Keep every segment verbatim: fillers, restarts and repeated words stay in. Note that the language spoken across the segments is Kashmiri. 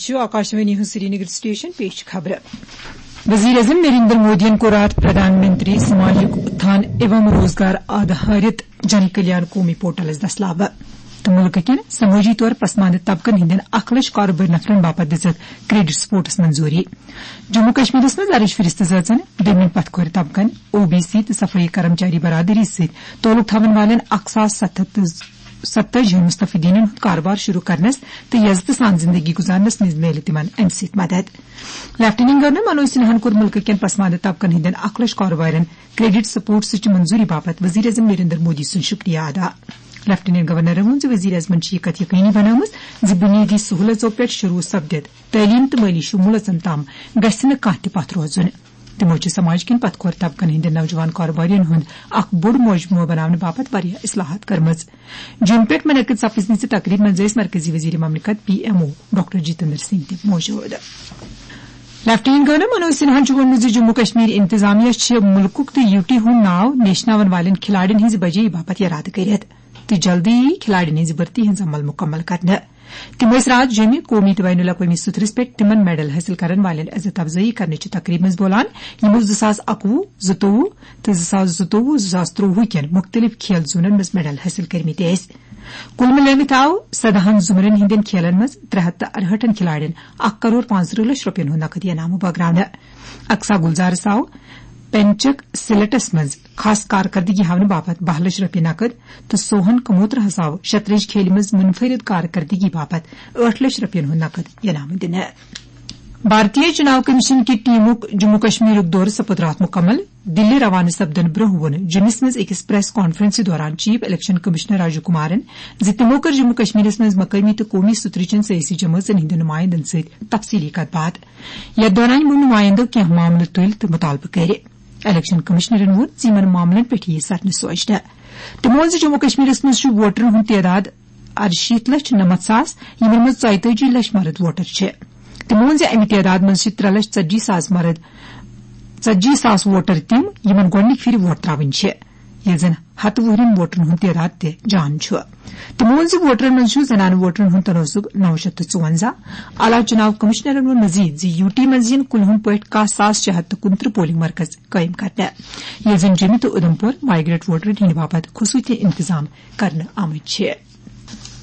چھُ آکاشوانی ہُنٛد سرینگر سٹیشن، پیش چھِ خبرٕ۔ وزیر اعظم نریندر مودیَن کوٚر راتھ پردھان منتری سماجک اتھان ایوم روزگار آدھارت جن کلیان قومی پورٹلس دستلابہٕ تہٕ مُلکہٕ کٮ۪ن سمٲجی طور پسماندٕ طبقن ہٕنٛدٮ۪ن اکھ لچھ کارٕبٲرۍ نفرن باپتھ دِژٕکھ کریڈٹ سپورٹس منظوٗری۔ جموں کشمیرس منٛز زرٕچ فہرست زٲژن دٔمیُن پتھ کھورِ طبقن، او بی سی تہٕ صفٲیی کرمچاری برادری سۭتۍ تعلق تھاون والٮ۪ن اکھ ساس ستھ ہتھ تہٕ ستٲجی ہن مستفیدینن ہُنٛد کاربار شروع کرنس تہٕ یزتہٕ سان زندگی گزارنس منٛز میلہِ تِمن امہِ سۭتۍ مدد۔ لیفٹیننٹ گورنر منوج سنہاہن کوٚر مُلکہٕ کٮ۪ن پسماندٕ طبقن ہٕنٛدٮ۪ن اکھ لچھ کاربارن کریڈٹ سپورٹسٕچ منظوری باپتھ وزیر اعظم نریندر مودی سُنٛد شکریہ ادا۔ لیفٹیننٹ گورنرن ووٚن زِ وزیر اعظمن چھِ یہِ کتھ یقینی بنٲومٕژ زِ بنیٲدی سہولژو پٮ۪ٹھ شروع سپدِتھ تعلیم تہٕ مٲلی شموٗلژن تام گژھِ نہٕ کانٛہہ تہِ پتھ روزُن۔ تِمو چھِ سماج کٮ۪ن پتھ کھور طبقن ہٕنٛدٮ۪ن نوجوان کاربارین ہُنٛد اکھ بوٚڑ مجموعہٕ بناونہٕ باپتھ واریاہ اصلاحات کٔرمٕژ۔ جوٚم پٮ۪ٹھ منعقد سپٕزمٕژِ تقریبہِ منٛز ٲسۍ مرکزی وزیر مملکت P M O doctor Jitendra Singh تہِ موجود۔ لیفٹیننٹ گورنر منوج سنہاہن چھُ ووٚنمُت زِ جموں کشمیر انتظامیہ چھِ مُلکُک تہٕ یوٗ ٹی ہُنٛد ناو نیشناون والٮ۪ن کھلاڑین ہٕنٛزِ بجٲیی باپتھ یرادٕ کٔرِتھ تہٕ جلدی یی کھلاڑین ہٕنٛزِ بھرتی ہٕنٛز عمل مُکمل کرنہٕ۔ تِم ٲسۍ راتھ جوٚمہِ قومی تہٕ بین الاقوٲمی سترس پٮ۪ٹھ تِمن میڈل حٲصِل کرن والٮ۪ن عزت افزٲیی کرنٕچہِ تقریبہِ منٛز بولان، یِمو زٕ ساس اکوُہ، زٕتووُہ تہٕ زٕ ساس زٕتووُہ، زٕ ساس ترٛوٚوُہ کٮ۪ن مُختٔلِف کھیل زونن منٛز میڈل حٲصِل کٔرمٕتۍ ٲسۍ۔ کُل مِلٲوِتھ آو سداہن زُمرن ہٕنٛدٮ۪ن کھیلن منٛز ترٛےٚ ہتھ تہٕ ارہٲٹھن کھلاڑٮ۪ن اکھ کرور پانٛژترٕٛہ لچھ رۄپین ہُنٛد نقد انعام و باگراونہٕ۔ اکسا گلزارس آو پینچک سلیٹس منٛز خاص کارکردگی ہاونہٕ باپتھ باہ لچھ رۄپیہِ نقد تہٕ سوہن کموترہس آو شطرنج کھیلہِ منٛز منفرد کارکردگی باپتھ ٲٹھ لچھ رۄپین ہُنٛد نقد انعام دِنہٕ۔ بھارتیہ چناو کمیشن کہِ ٹیمُک جموں کشمیرُک دورٕ سپُد راتھ مُکمل۔ دِلہِ روانہٕ سپدن برٛونٛہہ ووٚن جوٚمِس منٛز أکِس پریس کانفرنسہِ دوران chief election commissioner Rajiv Kumaran زِ تِمو کٔر جموں کشمیرس منٛز مقٲمی تہٕ قومی سترٕچن سیٲسی جمٲژن ہٕنٛدٮ۪ن نُمایندن سۭتۍ تفصیلی کتھ باتھ۔ یتھ دوران یِمو نُمایندو کینٛہہ معاملہٕ تُلۍ تہٕ مُطالبہٕ کٔرۍ۔ الیکشن کمشنرن ووٚن زِ یِمن معاملن پٮ۪ٹھ یِیہِ سرنہٕ سوچنہٕ۔ تِمو ووٚن زِ جموں کشمیرس منٛز چھُ ووٹرن ہُنٛد تعداد ارشیٖتھ لچھ نَمَتھ ساس، یِمن منٛز ژۄیتٲجی لچھ مرد ووٹر چھِ۔ تِمو ووٚن زِ اَمہِ تعداد منٛز چھِ ترٛےٚ لچھ ژتجی ساس مرد، ژتجی ساس ووٹر تِم، یِمن گۄڈٕنِکۍ پھِرِ ووٹ ترٛاوٕنۍ چھِ، ییٚلہِ زن ہتہٕ وُہرٮ۪ن ووٹرن ہُنٛد تعداد تہِ جان چھُ۔ تِمو ووٚن زِ ووٹرن منٛز چھُ زنانہٕ ووٹرن ہُنٛد تناسب نو شیٚتھ تہٕ ژُوَنزاہ، اعلیٰ چُناو کمشنرن ووٚن مزید زِ یوٗ ٹی منٛز یِن کُلہُن پٲٹھۍ کاہ ساس شےٚ ہتھ تہٕ کُنترٕہ پولنگ مرکز قٲیِم کرنہٕ، ییٚلہِ زن جوٚمہِ تہٕ اُدھمپور مایگریٹ ووٹرن ہٕنٛدِ باپتھ خصوٗصی انتظام کرنہٕ آمٕتۍ چھِ۔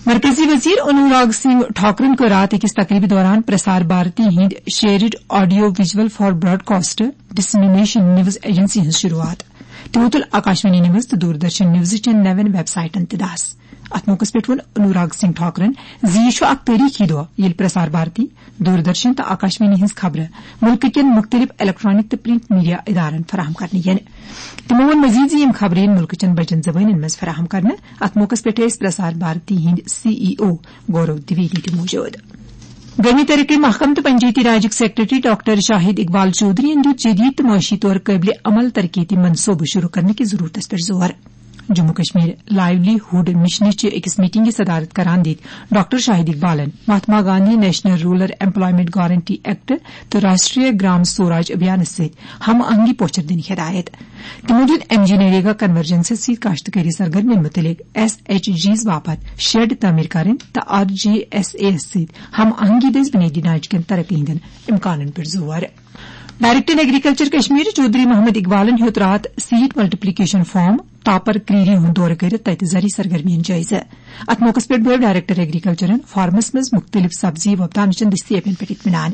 مرکزی وزیر انوراگ سنگھ ٹھاکرن کٔر راتھ أکِس تقریبہِ دوران پرسار بھارتی ہٕنٛدِ shared audio visual for broadcast dissemination news agency ہٕنٛز شروعات۔ تِمو تُل آکاشوانی نیوز تہٕ دوردرشن نیوزٕ چٮ۪ن نوٮ۪ن ویب سائٹن تہِ دس۔ اتھ موقعس پٮ۪ٹھ ووٚن انوراگ سنگھ ٹھاکرن زِ یہِ چھُ اکھ تٲریخی دۄہ، ییٚلہِ پرسار بھارتی، دوردرشن تہٕ آکاشوانی ہٕنٛز خبرٕ مُلکہٕ کٮ۪ن مُختٔلِف الیکٹرانک تہٕ پرنٹ میڈیا ادارن فراہم کرنہٕ یِن۔ تِمو ووٚن مزید زِ یِم خبرٕ یِن مُلکہٕ چٮ۪ن بجن زبٲنٮ۪ن منٛز فراہم کرنہٕ۔ اتھ موقعس پٮ۪ٹھ ٲسۍ پرسار بھارتی ہٕنٛدۍ سی ای او گورو دویدی تہِ موجود۔ گٲمی ترقی محکمہٕ تہٕ پنچایتی راجٕکۍ سیکرٹری ڈاکٹر شاہد اقبال چودھرین دیُت جدید تہٕ معاشی طور قٲبلِ عمل ترقیتی منصوبہٕ شروع کرنہٕ کِس ضرورتس پٮ۪ٹھ زور۔ جموں کشمیر لائیولی ہُڈ مشنٕچہِ أکِس میٹنگہِ صدارت کران دِتۍ ڈاکٹر شاہد اقبالن Mahatma Gandhi national rural employment guarantee act تہٕ راشٹریہ گرام سوراج ابھیانس سۭتۍ ہم آہنگی پوچھر دِنٕچ ہدایت۔ تِمو دِیُت ایم جی نریگا کنورجنسس سۭتۍ کاشتکٲری سرگرمین مُتعلق ایس ایچ جیز باپتھ شیڈ تعمیٖر کرٕنۍ تہٕ آر جی ایس اے یس سۭتۍ ہم آہنگی دٔسۍ بُنیٲدی ڈھانچہٕ کٮ۪ن ترقی ہٕنٛدٮ۪ن امکانن پٮ۪ٹھ زور۔ ڈائریکٹر ایگریکلچر کشمیر چودھری محمد اقبالن ہیوٚت راتھ سیڈ ملٹیپلیکیشن فارم تاپر کریری ہُنٛد دورٕ کٔرِتھ تتہِ زرعی سرگرمین جٲیزٕ۔ اتھ موقعس پٮ۪ٹھ بوزو ڈائریکٹر ایگریکلچرن فارمس منٛز مُختٔلِف سبزی وۄپداونہٕ چٮ۪ن دٔستیٲبین پٮ۪ٹھ اطمینان۔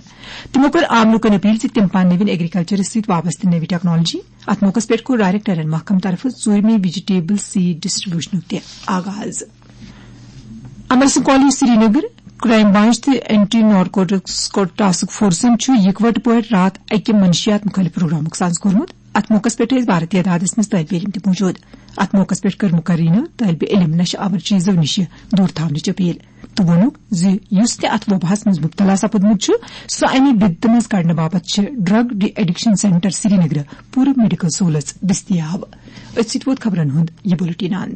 تِمو کٔر عام لوٗکن اپیل زِ تِم پانہٕ نٔوِن ایگریکلچرس سۭتۍ وابستہٕ نٔوِ ٹیکنالوجی۔ اتھ موقعس پٮ۪ٹھ کوٚر ڈائریکٹرن محکمہٕ طرفہٕ ژوٗرمہِ ویجیٹیبل سیڈ ڈسٹریبیوشنُک تہِ آغاز۔ Amar Singh college Srinagar, crime branch تہٕ اینٹی نارکوٹکس ٹاسک فورسن چھُ یکوٹہٕ پٲٹھۍ راتھ اکہِ منشیات مخالف پروگرامُک ساز کوٚرمُت۔ اتھ موقعس پٮ۪ٹھ ٲسۍ بھارتی تعدادس منٛز طٲلبہِ علم تہِ موجود۔ اتھ موقعس پٮ۪ٹھ کٔر مقررینو طٲلبہِ علم نشہٕ آور چیزو نِش دوٗر تھاونٕچ اپیل تہٕ ووٚنُکھ زِ یُس تہِ اتھ وباہس منٛز مبتلا سپُدمُت چھُ، سُہ امہِ بدتہٕ منٛز کڑنہٕ باپتھ چھِ ڈرگ ڈی ایڈکشن سینٹر سرینگرٕ پوٗرٕ میڈیکل سہولژ دٔستیاب۔ أتھۍ سۭتۍ ووت خبرن ہُنٛد یہِ بُلٹن اند۔